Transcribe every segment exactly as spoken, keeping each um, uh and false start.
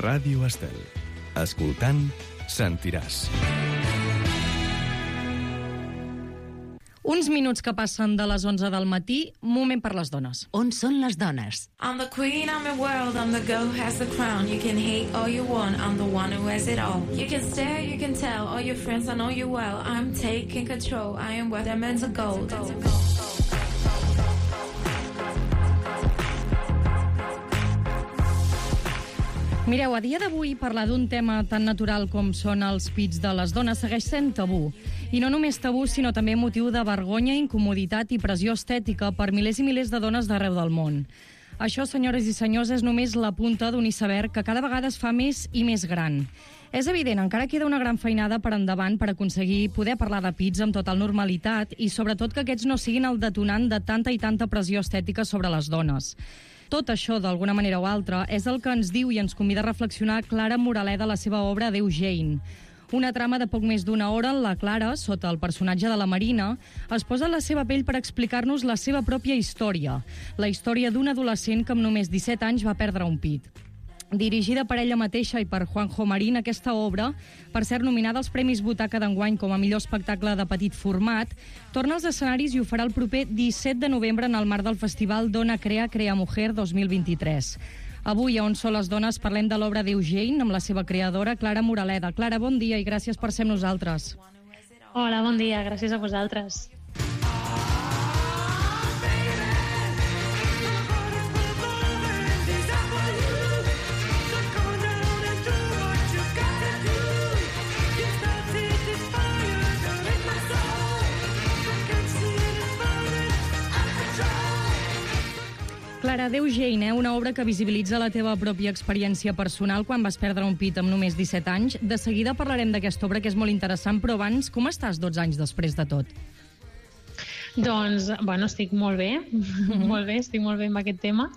Ràdio Estel. Escoltant, sentiràs. Uns minuts que passen de les onze del matí, moment per les dones. On són les dones? I'm the queen, I'm the world, I'm the girl who has the crown. You can hate all you want, I'm the one who has it all. You can stare, you can tell, all your friends, I know you well. I'm taking control, I am where they're meant to go. Mireu, a dia d'avui parlar d'un tema tan natural com són els pits de les dones segueix sent tabú. I no només tabú, sinó també motiu de vergonya, incomoditat i pressió estètica per milers i milers de dones d'arreu del món. Això, senyores i senyors, és només la punta d'un iceberg que cada vegada es fa més i més gran. És evident, encara queda una gran feinada per endavant per aconseguir poder parlar de pits amb total normalitat i sobretot que aquests no siguin el detonant de tanta i tanta pressió estètica sobre les dones. Tot això, d'alguna manera o altra, és el que ens diu i ens convida a reflexionar Clara Moraleda a la seva obra Adéu Jane. Una trama de poc més d'una hora en la Clara, sota el personatge de la Marina, es posa en la seva pell per explicar-nos la seva pròpia història, la història d'un adolescent que amb només disset anys va perdre un pit. Dirigida per ella mateixa i per Juanjo Marín, aquesta obra, per ser nominada als Premis Butaca d'enguany com a millor espectacle de petit format, torna als escenaris i ho farà el proper disset de novembre en el marc del festival Dona Crea Crea Mujer dos mil vint-i-tres. Avui, a On són les dones, parlem de l'obra Adéu Jane amb la seva creadora, Clara Moraleda. Clara, bon dia i gràcies per ser amb nosaltres. Hola, bon dia, gràcies a vosaltres. Clara, Adéu Jane, eh? Una obra que visibilitza la teva pròpia experiència personal quan vas perdre un pit amb només disset anys. De seguida parlarem d'aquesta obra, que és molt interessant, però abans, com estàs dotze anys després de tot? Doncs, bueno, estic molt bé, mm-hmm. molt bé, estic molt bé amb aquest tema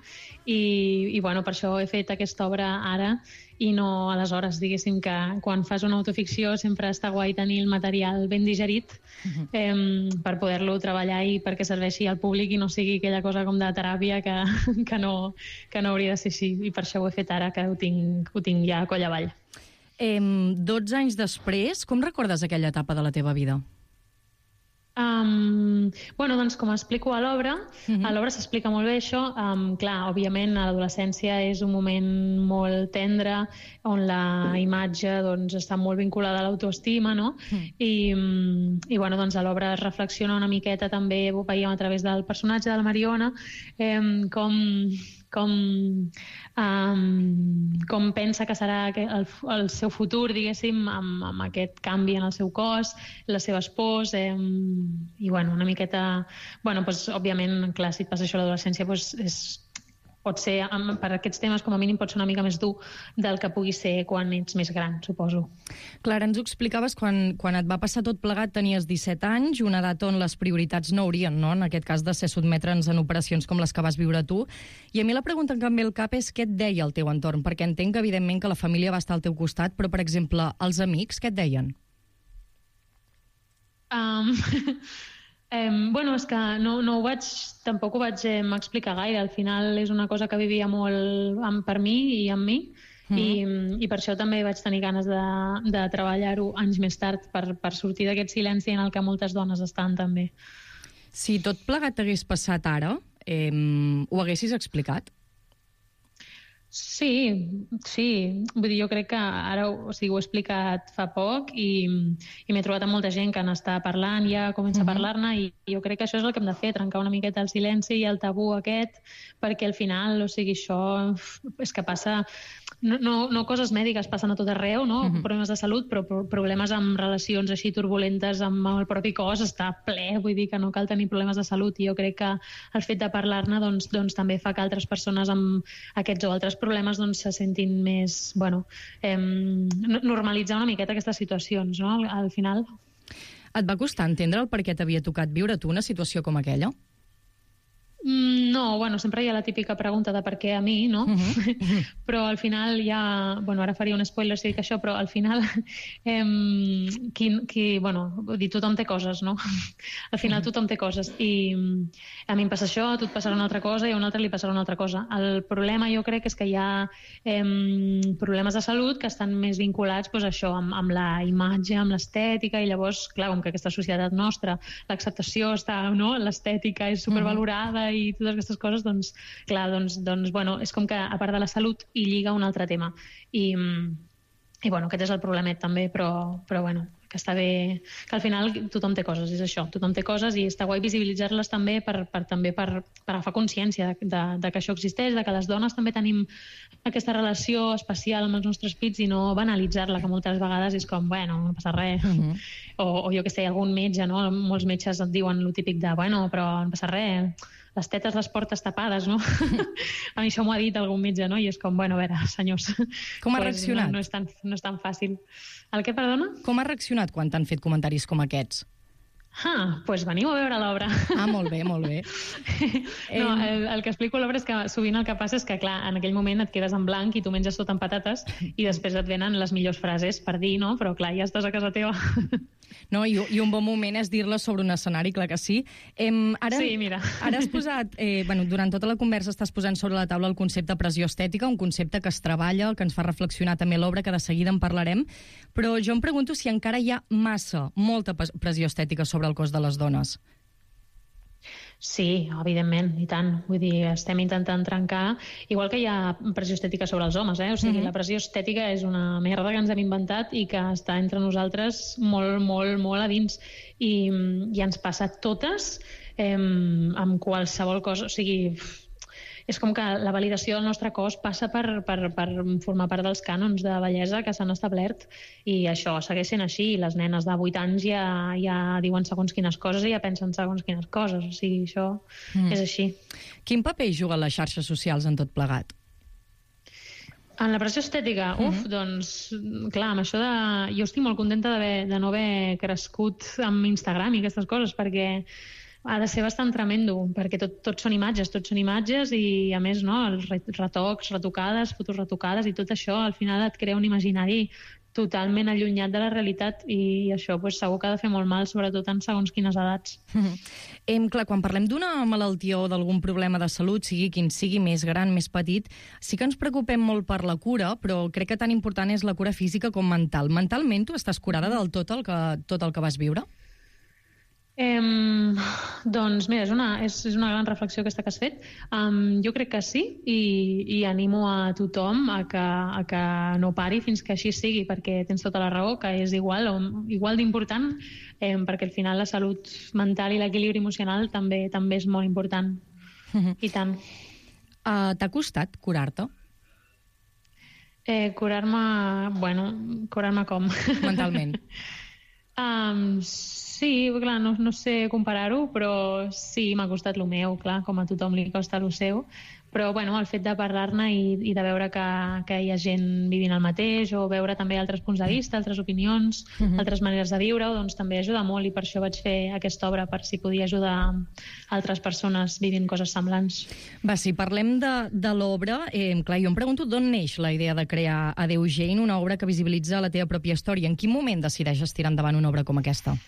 i, i bueno, per això he fet aquesta obra ara i no aleshores, diguéssim que quan fas una autoficció sempre està guai tenir el material ben digerit mm-hmm. eh, per poder-lo treballar i perquè serveixi al públic i no sigui aquella cosa com de teràpia que, que, no, que no hauria de ser així, i per això ho he fet ara que ho tinc, ho tinc ja a coll avall. Eh, dotze anys després, com recordes aquella etapa de la teva vida? Um, bueno, doncs com explico a l'obra, uh-huh. a l'obra s'explica molt bé això. Um, clar, òbviament l'adolescència és un moment molt tendre on la imatge doncs, està molt vinculada a l'autoestima, no? Uh-huh. I, um, i bueno, doncs a l'obra es reflexiona una miqueta també, ho veiem a través del personatge de la Mariona, um, com... com, um, com pensa que serà el, el seu futur, diguéssim, amb, amb aquest canvi en el seu cos, les seves pors, eh, i bueno, una miqueta... Bueno, doncs, òbviament, clar, si et passa això a l'adolescència, doncs és... pot ser, per aquests temes, com a mínim, pot ser una mica més dur del que pugui ser quan ets més gran, suposo. Clara, ens ho explicaves, quan, quan et va passar tot plegat tenies disset anys, una edat on les prioritats no haurien, no?, en aquest cas, de ser sotmetre'ns en operacions com les que vas viure tu. I a mi la pregunta que em ve al cap és què et deia el teu entorn, perquè entenc que, evidentment, que la família va estar al teu costat, però, per exemple, els amics, què et deien? Um... Um, bueno, és que no, no ho vaig, tampoc ho vaig eh, explicar gaire. Al final és una cosa que vivia molt amb, per mi i amb mi, mm. i, i per això també vaig tenir ganes de, de treballar-ho anys més tard per, per sortir d'aquest silenci en el que moltes dones estan també. Si tot plegat t'hagués passat ara, eh, ho haguessis explicat? Sí, sí. Vull dir, jo crec que ara o sigui, ho he explicat fa poc i, i m'he trobat amb molta gent que n'està parlant, ja comença uh-huh. a parlar-ne, i jo crec que això és el que hem de fer, trencar una miqueta el silenci i el tabú aquest, perquè al final, o sigui, això és que passa... No, no, no coses mèdiques, passen a tot arreu, no? Uh-huh. Problemes de salut, però problemes amb relacions així turbulentes amb el propi cos està ple, vull dir que no cal tenir problemes de salut, i jo crec que el fet de parlar-ne doncs, doncs, també fa que altres persones amb aquests o altres problemes doncs, se sentin més, bueno, eh, normalitzar una miqueta aquestes situacions, no? Al, al final. Et va costar entendre el per què t'havia tocat viure tu una situació com aquella? No, bueno, sempre hi ha la típica pregunta de per què a mi, no? Uh-huh. Però al final hi ha... Bueno, ara faria un spoiler si dic això, però al final... Eh, qui, qui, bueno, vull dir, tothom té coses, no? Al final uh-huh. tothom té coses. I a mi em passa això, a tu et passarà una altra cosa i a un altre li passarà una altra cosa. El problema jo crec és que hi ha eh, problemes de salut que estan més vinculats pues, això, amb, amb la imatge, amb l'estètica, i llavors, clar, com que aquesta societat nostra, l'acceptació està, no? L'estètica és supervalorada uh-huh. i totes aquestes coses, doncs, clar, doncs, doncs, bueno, és com que a part de la salut hi lliga un altre tema. I, i bueno, aquest és el problemet també, però, però bueno, que està bé, que al final tothom té coses, és això, tothom té coses i està guai visibilitzar-les també per, per, també per, per agafar consciència de, de, de que això existeix, de que les dones també tenim aquesta relació especial amb els nostres pits i no banalitzar-la, que moltes vegades és com, bueno, no passa res. Uh-huh. o, o jo què sé, algun metge, no? Molts metges et diuen lo típic de, bueno, però no passa res, les tetes les portes tapades, no? A mi això m'ho ha dit algun metge, no? I és com, bueno, a veure, senyors... Com ha pues reaccionat? No, no, és tan, no és tan fàcil. El què, perdona? Com ha reaccionat quan t'han fet comentaris com aquests? Ah, doncs pues veniu a veure l'obra. Ah, molt bé, molt bé. No, el, el que explico a l'obra és que sovint el que passa és que, clar, en aquell moment et quedes en blanc i tu menges tot amb patates i després et venen les millors frases per dir, no? Però, clar, ja estàs a casa teva. No, i, i un bon moment és dir-la sobre un escenari, clar que sí. Em, ara, sí, mira. Ara has posat, eh, bueno, durant tota la conversa estàs posant sobre la taula el concepte pressió estètica, un concepte que es treballa, que ens fa reflexionar també l'obra, que de seguida en parlarem, però jo em pregunto si encara hi ha massa, molta pressió estètica sobre el cos de les dones. Sí, evidentment, i tant. Vull dir, estem intentant trencar, igual que hi ha pressió estètica sobre els homes, eh? O sigui, mm-hmm. la pressió estètica és una merda que ens hem inventat i que està entre nosaltres molt, molt, molt a dins. I, i ens passa totes eh, amb qualsevol cosa. O sigui, és com que la validació del nostre cos passa per, per, per formar part dels cànons de bellesa que s'han establert, i això segueix sent així. Les nenes de vuit anys ja, ja diuen segons quines coses i ja pensen segons quines coses. O sigui, això mm. és així. Quin paper juguen les xarxes socials en tot plegat? En la pressió estètica? Mm-hmm. Uf, doncs, clar, amb això de... Jo estic molt contenta de no haver crescut amb Instagram i aquestes coses, perquè ha de ser bastant tremendo, perquè tot, tot són imatges, tot són imatges i, a més, no, els retocs, retocades, fotos retocades i tot això, al final et crea un imaginari totalment allunyat de la realitat i això pues, segur que ha de fer molt mal, sobretot en segons quines edats. Em, clar, quan parlem d'una malaltia o d'algun problema de salut, sigui quin sigui, més gran, més petit, sí que ens preocupem molt per la cura, però crec que tan important és la cura física com mental. Mentalment tu estàs curada del tot el que, tot el que vas viure? Eh, doncs mira, és una, és, és una gran reflexió aquesta que has fet. Um, jo crec que sí, i, i animo a tothom a que, a que no pari fins que així sigui, perquè tens tota la raó, que és igual, o, igual d'important, eh, perquè al final la salut mental i l'equilibri emocional també també és molt important. Mm-hmm. I tant. Uh, T'ha costat curar-te? Eh, curar-me... Bueno, curar-me com? Mentalment. Um, sí, clar, no, no sé comparar-ho, però sí, m'ha costat el meu, clar, com a tothom li costa el seu, però bueno, el fet de parlar-ne i, i de veure que, que hi ha gent vivint el mateix, o veure també altres punts de vista, altres opinions, uh-huh. altres maneres de viure-ho, doncs també ajuda molt, i per això vaig fer aquesta obra, per si podia ajudar altres persones vivint coses semblants. Va, si parlem de, de l'obra, eh, clar, jo em pregunto d'on neix la idea de crear Adeu Jane, una obra que visibilitza la teva pròpia història. En quin moment decideixes tirar endavant una obra com aquesta?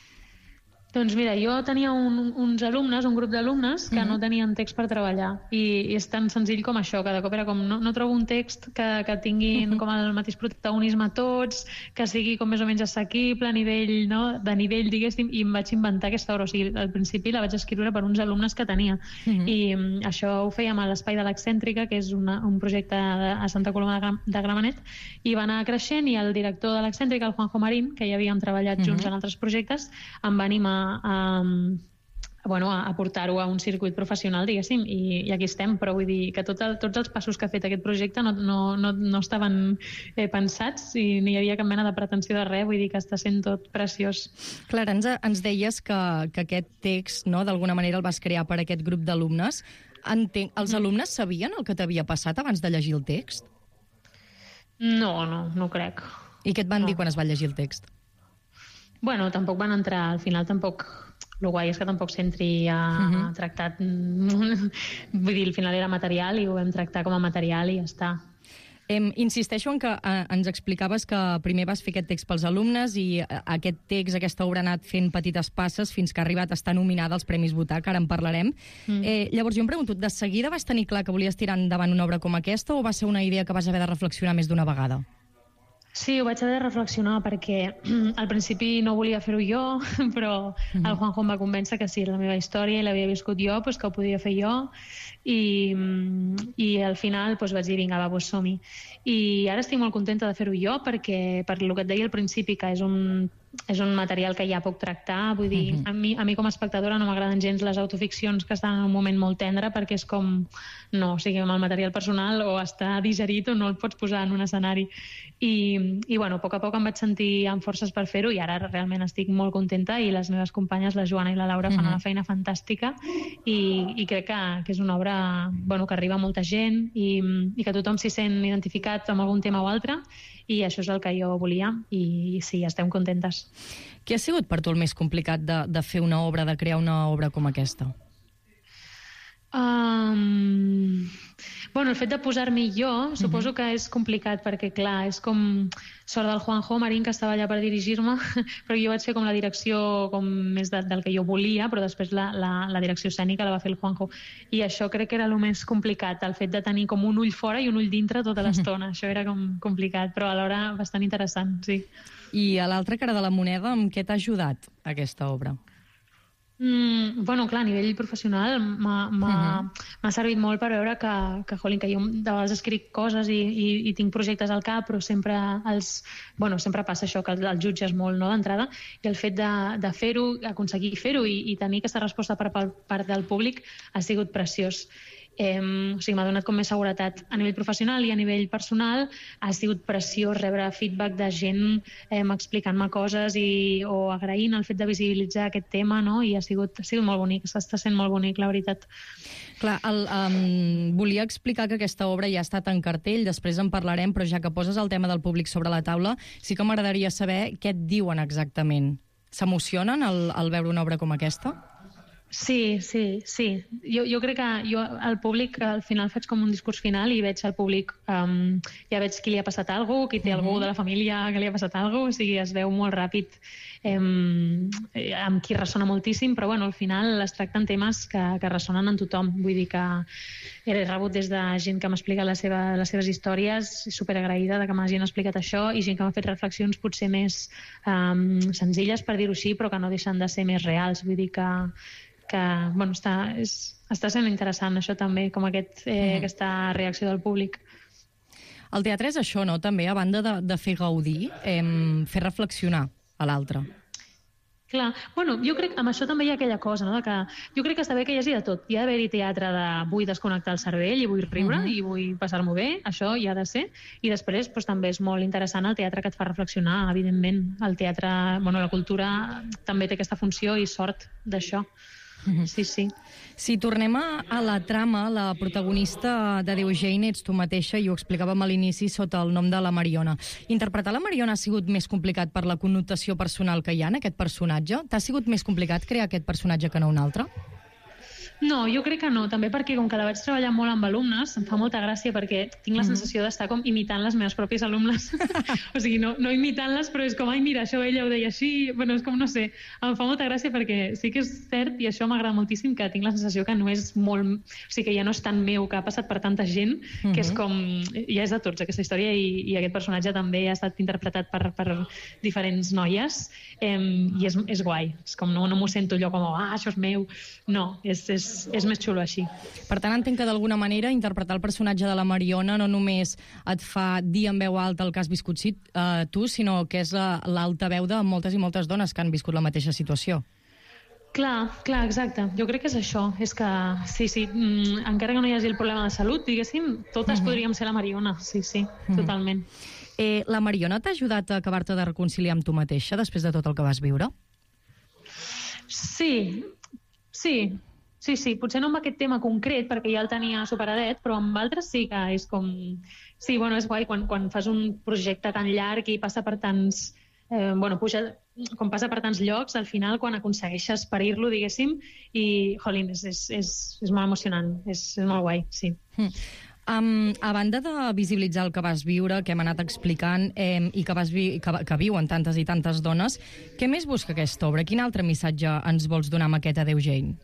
Doncs mira, jo tenia un, uns alumnes, un grup d'alumnes que mm-hmm. no tenien text per treballar, i, i és tan senzill com això, que de cop era com no, no trobo un text que, que tinguin mm-hmm. com el mateix protagonisme tots, que sigui com més o menys assequible a nivell, no? De nivell, diguéssim, i em vaig inventar aquesta obra. O sigui, al principi la vaig escriure per uns alumnes que tenia, mm-hmm. i um, això ho fèiem a l'Espai de l'Excèntrica, que és una, un projecte de, a Santa Coloma de, Gram, de Gramenet, i va anar creixent, i el director de l'Excèntrica, el Juanjo Marín, que ja havíem treballat mm-hmm. junts en altres projectes, em va animar a, bueno, a portar-ho a un circuit professional, diguéssim, i, i aquí estem, però vull dir que tot el, tots els passos que ha fet aquest projecte no, no, no, no estaven eh, pensats, i no hi havia cap mena de pretensió de res, vull dir que està sent tot preciós. Clara, ens, ens deies que, que aquest text, no, d'alguna manera el vas crear per aquest grup d'alumnes. Entenc, els mm. alumnes sabien el que t'havia passat abans de llegir el text? No, no, no crec. I què et van no. dir quan es va llegir el text? Bueno, tampoc van entrar, al final tampoc el guai és que tampoc s'entri a, uh-huh. a tractar... Vull dir, al final era material i ho vam tractar com a material i ja està. Em, insisteixo en que eh, ens explicaves que primer vas fer aquest text pels alumnes i eh, aquest text, aquesta obra ha anat fent petites passes fins que ha arribat a estar nominada als Premis Botac, ara en parlarem. Mm. Eh, llavors jo em pregunto, de seguida vas tenir clar que volies tirar endavant una obra com aquesta o va ser una idea que vas haver de reflexionar més d'una vegada? Sí, ho vaig haver de reflexionar perquè al principi no volia fer-ho jo, però mm-hmm. el Juanjo em va convèncer que sí, era la meva història i l'havia viscut jo, doncs que ho podia fer jo i, i al final doncs vaig dir, vinga, va, doncs som-hi. I ara estic molt contenta de fer-ho jo perquè, per el que et deia al principi, que és un, és un material que ja puc tractar, vull dir, mm-hmm. a, mi, a mi com a espectadora no m'agraden gens les autoficcions que estan en un moment molt tendre perquè és com, no, o sigui, amb el material personal o està digerit o no el pots posar en un escenari. I, i bueno, a poc a poc em vaig sentir amb forces per fer-ho i ara realment estic molt contenta i les meves companyes, la Joana i la Laura, fan mm-hmm. una feina fantàstica i, i crec que, que és una obra bueno, que arriba a molta gent i, i que tothom s'hi sent identificat amb algun tema o altre i això és el que jo volia i sí, estem contentes. Què ha sigut per tu el més complicat de, de fer una obra, de crear una obra com aquesta? Um... Bueno, el fet de posar-m'hi jo suposo que és complicat perquè, clar, és com sort del Juanjo Marín que estava allà per dirigir-me, però jo vaig fer com la direcció com més de, del que jo volia, però després la, la, la direcció escènica la va fer el Juanjo. I això crec que era el més complicat, el fet de tenir com un ull fora i un ull dintre tota l'estona. Això era com complicat, però alhora bastant interessant, sí. I a l'altra cara de la moneda, amb què t'ha ajudat aquesta obra? Mm, bueno, clar, a nivell professional m'ha uh-huh. servit molt per veure que, que, jolín, que jo de vegades escric coses i, i, i tinc projectes al cap, però sempre els, bueno, sempre passa això, que el, el jutges molt, no, d'entrada, i el fet de, de fer-ho, aconseguir fer-ho i, i tenir aquesta resposta per part del públic ha sigut preciós. Eh, o sigui, m'ha donat com més seguretat a nivell professional i a nivell personal. Ha sigut preciós rebre feedback de gent eh, explicant-me coses i, o agraint el fet de visibilitzar aquest tema, no? I ha sigut, ha sigut molt bonic, s'està sent molt bonic, la veritat. Clar, el, um, volia explicar que aquesta obra ja ha estat en cartell, després en parlarem, però ja que poses el tema del públic sobre la taula, sí que m'agradaria saber què et diuen exactament. S'emocionen al, al veure una obra com aquesta? Sí, sí, sí. Jo, jo crec que jo al públic al final faig com un discurs final i veig al públic, um, ja veig qui li ha passat alguna cosa, qui té uh-huh. algú de la família que li ha passat alguna cosa, o sigui, es veu molt ràpid um, amb qui ressona moltíssim, però bueno, al final es tracten temes que, que ressonen en tothom. Vull dir que he rebut des de gent que m'ha explicat la seva, les seves històries, superagraïda de que m'hagin explicat això, i gent que m'ha fet reflexions potser més um, senzilles, per dir-ho així, però que no deixen de ser més reals. Vull dir que que bueno, està, és, està sent interessant això també, com aquest, eh, mm. aquesta reacció del públic. El teatre és això, no? També, a banda de, de fer gaudir, eh, fer reflexionar a l'altre. Clar, bueno, jo crec que amb això també hi ha aquella cosa, no? De que jo crec que està bé que hi hagi de tot. Hi ha d'haver-hi teatre de vull desconnectar el cervell i vull riure uh-huh. i vull passar-m'ho bé, això hi ha de ser. I després doncs, també és molt interessant el teatre que et fa reflexionar, evidentment. El teatre, bueno, la cultura també té aquesta funció i sort d'això. Sí, sí. Si tornem a, a la trama, la protagonista de Déu Jane ets tu mateixa, i ho explicàvem a l'inici sota el nom de la Mariona. Interpretar la Mariona ha sigut més complicat per la connotació personal que hi ha en aquest personatge? T'ha sigut més complicat crear aquest personatge que no un altre? No, jo crec que no, també perquè com que la vaig treballar molt amb alumnes, em fa molta gràcia perquè tinc la sensació d'estar com imitant les meves pròpies alumnes. O sigui, no, no imitant-les, però és com, ai, mira, això ella ho deia així, bueno, és com, no sé, em fa molta gràcia perquè sí que és cert, i això m'agrada moltíssim, que tinc la sensació que no és molt... O sigui, que ja no és tan meu, que ha passat per tanta gent, uh-huh. que és com... Ja és de tots, aquesta història, i, i aquest personatge també ha estat interpretat per, per diferents noies, eh, i és, és guai. És com, no, no m'ho sento allò com, ah, això és meu. No, és, és és més xulo així. Per tant, entenc que d'alguna manera interpretar el personatge de la Mariona no només et fa dir en veu alta el que has viscut sí, uh, tu, sinó que és l'alta veu de moltes i moltes dones que han viscut la mateixa situació. Clar, clar, exacte. Jo crec que és això. És que, sí, sí, mm, encara que no hi hagi el problema de salut, diguéssim, totes uh-huh. podríem ser la Mariona. Sí, sí, uh-huh. totalment. Eh, la Mariona t'ha ajudat a acabar-te de reconciliar amb tu mateixa després de tot el que vas viure? Sí, sí. Sí, sí, potser no amb aquest tema concret, perquè ja el tenia superadet, però amb altres sí que és com... Sí, bueno, és guai quan, quan fas un projecte tan llarg i passa per tants... Eh, bueno, puja, com passa per tants llocs, al final, quan aconsegueixes parir-lo, diguéssim, i, jolín, és, és, és, és molt emocionant, és, és molt guai, sí. Mm. Um, a banda de visibilitzar el que vas viure, que hem anat explicant, eh, i que, vas vi que, que viuen tantes i tantes dones, què més busca aquesta obra? Quin altre missatge ens vols donar amb aquest Adéu Jane?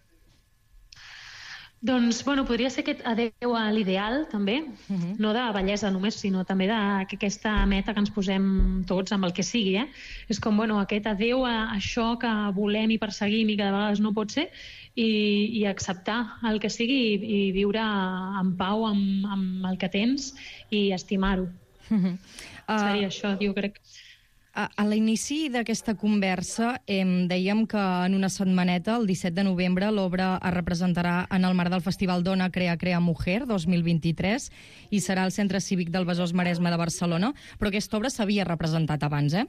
Doncs, bueno, podria ser aquest adéu a l'ideal, també, uh -huh. no de bellesa només, sinó també d'aquesta meta que ens posem tots amb el que sigui, eh? És com, bueno, aquest adéu a això que volem i perseguim i que de vegades no pot ser, i, i acceptar el que sigui i, i viure en pau amb, amb el que tens i estimar-ho. Uh -huh. uh... Seria això, jo crec. A, a l'inici d'aquesta conversa eh, dèiem que en una setmaneta, el disset de novembre, l'obra es representarà en el marc del Festival Dona Crea Crea Mujer dos mil vint-i-tres i serà al Centre Cívic del Besòs Maresme de Barcelona, però aquesta obra s'havia representat abans, eh?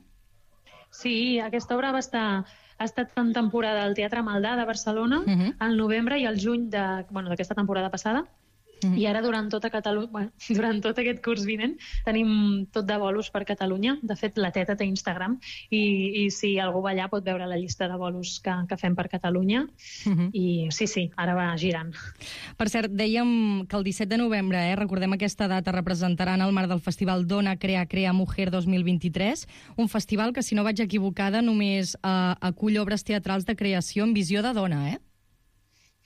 Sí, aquesta obra va estar... ha estat en temporada al Teatre Maldà de Barcelona, uh -huh. al novembre i al juny de, bueno, d'aquesta temporada passada. Mm. I ara, durant tota Catalunya, bueno, durant tot aquest curs vinent, tenim tot de bolos per Catalunya. De fet, la Teta té Instagram i, i si algú va allà pot veure la llista de bolos que, que fem per Catalunya. Mm-hmm. I sí, sí, ara va girant. Per cert, dèiem que el disset de novembre, eh, recordem aquesta data, representaran el marc del Festival Dona Crea Crea Mujer dos mil vint-i-tres, un festival que, si no vaig equivocada, només eh, acull obres teatrals de creació en visió de dona, eh?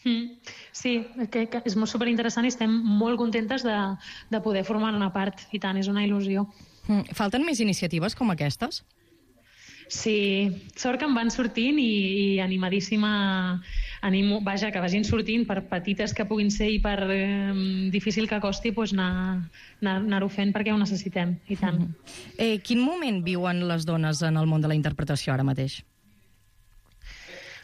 Mm, sí, que, que és molt superinteressant i estem molt contentes de, de poder formar una part, i tant, és una il·lusió. Mm, falten més iniciatives com aquestes? Sí, sort que en van sortint i, i animadíssima, animo, vaja, que vagin sortint, per petites que puguin ser i per eh, difícil que costi, doncs anar, anar, anar-ho fent perquè ho necessitem, i tant. Mm. Eh, quin moment viuen les dones en el món de la interpretació ara mateix?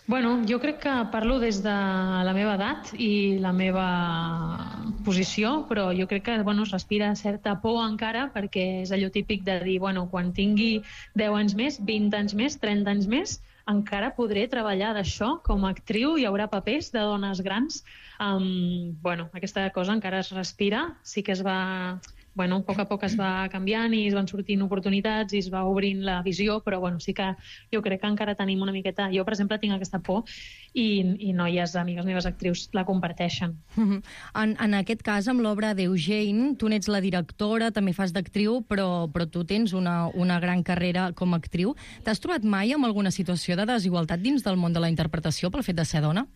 Bueno, jo crec que parlo des de la meva edat i la meva posició, però jo crec que, bueno, es respira certa por encara, perquè és allò típic de dir, bueno, quan tingui deu anys més, vint anys més, trenta anys més, encara podré treballar d'això com a actriu, hi haurà papers de dones grans. Um, bueno, aquesta cosa encara es respira, sí que es va... Bueno, a poc a poc es va canviant i es van sortint oportunitats i es va obrint la visió, però bueno, sí que jo crec que encara tenim una miqueta... Jo, per exemple, tinc aquesta por i, i noies, amigues meves actrius, la comparteixen. Uh-huh. En, en aquest cas, amb l'obra Adéu Jane, tu n'ets la directora, també fas d'actriu, però, però tu tens una, una gran carrera com a actriu. T'has trobat mai amb alguna situació de desigualtat dins del món de la interpretació pel fet de ser dona?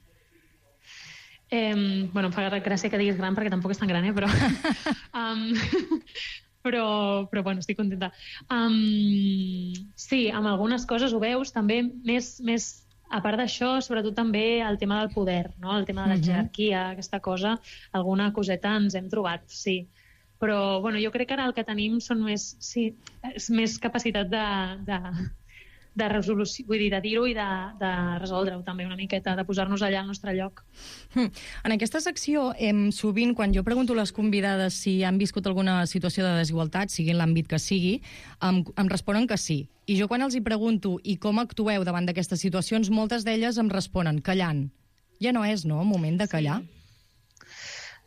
Eh, bueno, em fa gràcia que diguis gran perquè tampoc és tan gran, eh? Però, um, però, però bueno, estic contenta. Um, sí, amb algunes coses ho veus, també més, més a part d'això, sobretot també el tema del poder, no? El tema de la jerarquia, uh-huh. aquesta cosa, alguna coseta ens hem trobat, sí. Però bueno, jo crec que ara el que tenim són més, sí, és més capacitat de... de de resolució, vull dir, de dir-ho i de, de resoldre-ho també una miqueta, de posar-nos allà al nostre lloc. En aquesta secció, em, sovint, quan jo pregunto a les convidades si han viscut alguna situació de desigualtat, sigui en l'àmbit que sigui, em, em responen que sí. I jo quan els hi pregunto i com actueu davant d'aquestes situacions, moltes d'elles em responen callant. Ja no és, no?, moment de callar? Sí.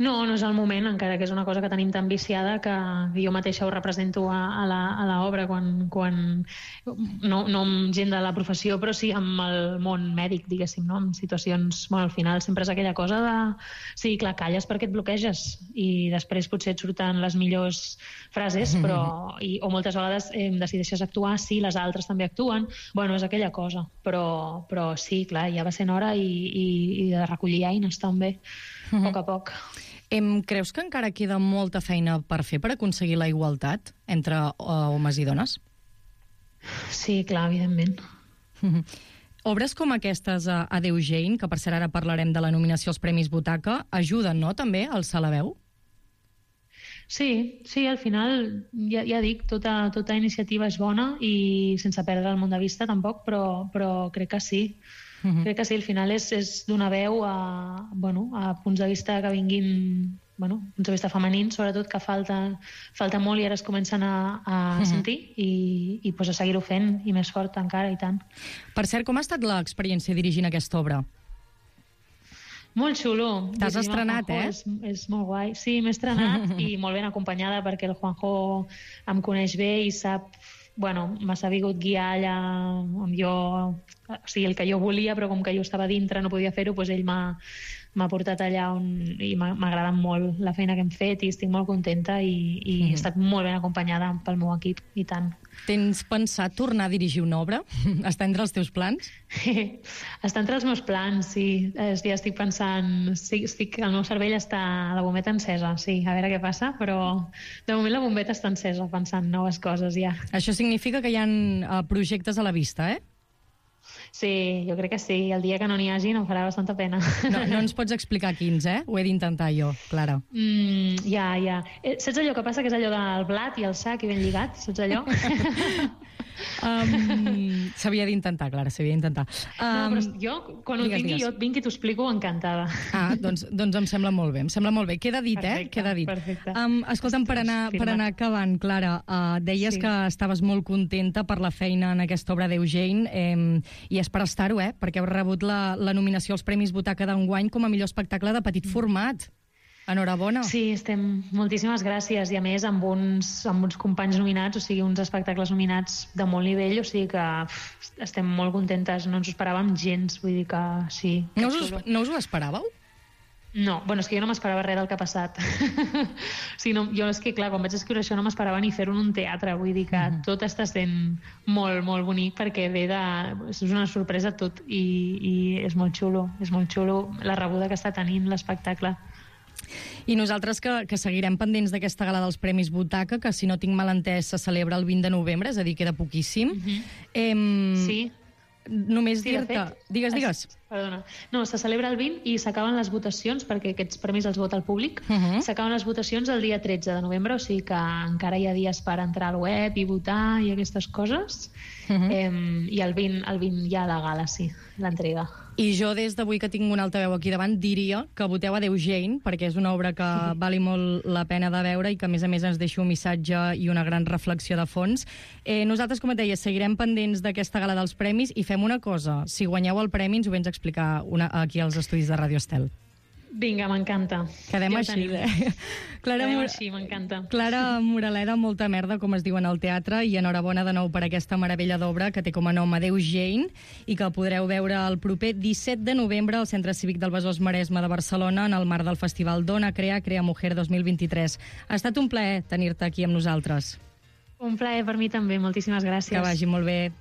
No, no és el moment, encara que és una cosa que tenim tan viciada que jo mateixa ho represento a, a l'obra quan, quan no, no amb gent de la professió, però sí amb el món mèdic, diguéssim, no? En situacions, bueno, al final sempre és aquella cosa de... Sí, clar, calles perquè et bloqueges i després potser et surten les millors frases, però... I, o moltes vegades eh, decideixes actuar, sí, les altres també actuen, bueno, és aquella cosa, però, però sí, clar, ja va sent hora i, i, i de recollir eines també, a poc a poc. Em, creus que encara queda molta feina per fer per aconseguir la igualtat entre uh, homes i dones? Sí, clar, evidentment. Mm-hmm. Obres com aquestes a Adéu Jane, que per cert ara parlarem de la nominació als Premis Butaca, ajuden, no?, també a alçar la veu? Sí, sí, al final, ja, ja dic, tota, tota iniciativa és bona i sense perdre el món de vista tampoc, però, però crec que sí. Uh-huh. Crec que sí, al final és, és donar veu a, bueno, a punts de vista que vinguin, bueno, punts de vista femenins, sobretot, que falta, falta molt i ara es comencen a, a uh-huh. sentir i, i pues, a seguir-ho fent i més fort encara, i tant. Per cert, com ha estat l'experiència dirigint aquesta obra? Molt xulo. T'has estrenat, eh? És, és molt guai. Sí, m'he estrenat i molt ben acompanyada perquè el Juanjo em coneix bé i sap bueno, m'ha sabut guiar allà on jo... O sigui, el que jo volia, però com que jo estava dintre no podia fer-ho, doncs ell m'ha m'ha portat allà on... i m'ha agradat molt la feina que hem fet i estic molt contenta i, i mm. he estat molt ben acompanyada pel meu equip, i tant. Tens pensat tornar a dirigir una obra? Està entre els teus plans? Està entre els meus plans, sí. Ja estic pensant... Sí, estic... El meu cervell està... La bombeta encesa, sí. A veure què passa, però de moment la bombeta està encesa, pensant noves coses ja. Això significa que hi ha uh, projectes a la vista, eh? Sí, jo crec que sí. El dia que no n'hi hagi no farà bastanta pena. No, no ens pots explicar quins, eh? Ho he d'intentar jo, Clara. Mm, ja, ja. Eh, saps allò que passa, que és allò del blat i el sac i ben lligat? Saps allò? um, s'havia d'intentar, Clara, s'havia d'intentar. Um, no, però jo, quan ho digues, tingui, digues. jo et vinc i t'ho explico encantada. Ah, doncs, doncs em sembla molt bé, em sembla molt bé. Queda dit, perfecte, eh? Queda dit. Perfecte. Um, escolta'm, per anar, per anar acabant, Clara, uh, deies sí. que estaves molt contenta per la feina en aquesta obra d'Eugene, eh, i és per estar-ho, eh? Perquè heu rebut la, la nominació als Premis Butaca d'enguany com a millor espectacle de petit format. Enhorabona. Sí, estem... Moltíssimes gràcies. I a més, amb uns, amb uns companys nominats, o sigui, uns espectacles nominats de molt nivell, o sigui que pff, estem molt contentes. No ens ho esperàvem gens, vull dir que sí. Que no, us, no us ho esperàveu? No, bueno, és que jo no m'esperava res del que ha passat. o sigui, no, jo és que, clar, quan vaig escriure això no m'esperava ni fer-ho en un teatre, vull dir que mm -hmm. tot està sent molt, molt bonic perquè ve de... és una sorpresa tot i, i és molt xulo, és molt xulo la rebuda que està tenint l'espectacle. I nosaltres que, que seguirem pendents d'aquesta gala dels Premis Butaca, que si no tinc mal entès se celebra el vint de novembre, és a dir, queda poquíssim. Mm -hmm. eh, sí. Només sí, dir-te... Digues, digues. Es, perdona. No, se celebra el vint i s'acaben les votacions, perquè aquests premis els vota el públic. Uh -huh. S'acaben les votacions el dia tretze de novembre, o sigui que encara hi ha dies per entrar al web i votar i aquestes coses. Uh -huh. eh, I el vint, el vint hi ha la gala, sí, l'entrega. I jo, des d'avui que tinc un altaveu aquí davant, diria que voteu a d'Eugene, perquè és una obra que sí. vali molt la pena de veure i que, a més a més, ens deixa un missatge i una gran reflexió de fons. Eh, nosaltres, com et deia, seguirem pendents d'aquesta gala dels premis i fem una cosa. Si guanyeu el premi, ens ho vens a explicar una, aquí als estudis de Radio Estel. Vinga, m'encanta. Quedem ja així, eh? Clara, Quedem així, m'encanta. Clara Moraleda, molta merda, com es diu en el teatre, i enhorabona de nou per aquesta meravella d'obra que té com a nom Adéu-Jane i que podreu veure el proper disset de novembre al Centre Cívic del Besòs Maresme de Barcelona en el marc del Festival Dona, Crea, Crea Mujer dos mil vint-i-tres. Ha estat un plaer tenir-te aquí amb nosaltres. Un plaer per mi també, moltíssimes gràcies. Que vagi molt bé.